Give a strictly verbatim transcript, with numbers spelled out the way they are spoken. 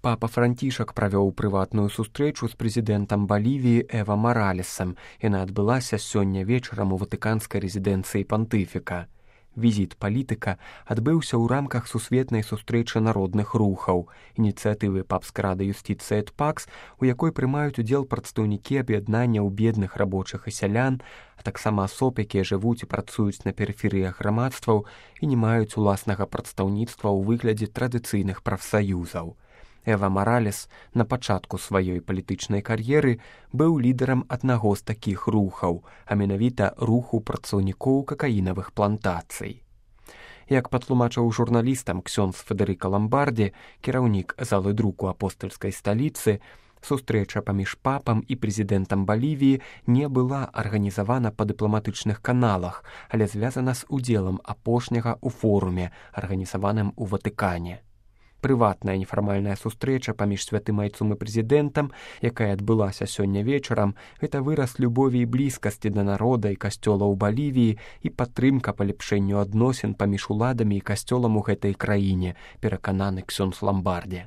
Папа Францішак правёў прыватную сустрэчу з прэзідэнтам Балівіі Эва Маралесам. Яна адбылася сёння вечарам у ватыканскай рэзідэнцыі пантыфіка. Візіт палітыка адбыўся ў рамках сусветнай сустрэчы народных рухаў, ініцыятывы папскай рады юстыцыі эт пакс, у якой прымаюць удзел прадстаўнікі аб'яднанняў бедных рабочых і сялян, а таксама асоб, якія жывуць і працуюць на перыферыях грамадстваў і не маюць уласнага прадстаўніцтва ў выглядзе традыцыйных прафсаюзаў. Эва Маралес на пачатку сваёй палітычнай кар'еры быў лідарам аднаго з такіх рухаў, а менавіта руху працаўнікоў какаінавых плантацый. Як патлумачыў журналістам ксёндз Федэрыка Ламбардзі, кіраўнік залы друку апостальскай сталіцы, сустрэча паміж папам і прэзідэнтам Балівіі не была арганізавана па дыпламатычных каналах, але звязана з удзелам апошняга ў форуме, арганізаваным у Ватыкане. Прыватная нефармальная сустрэча паміж святым айцом і прэзідэнтам, якая адбылася сёння вечарам, гэта выраз любові і блізкасці да народа і касцёла ў Балівіі і падтрымка палепшэнню адносін паміж уладамі і касцёлам у гэтай краіне, перакананы ксёндз Ламбардзі.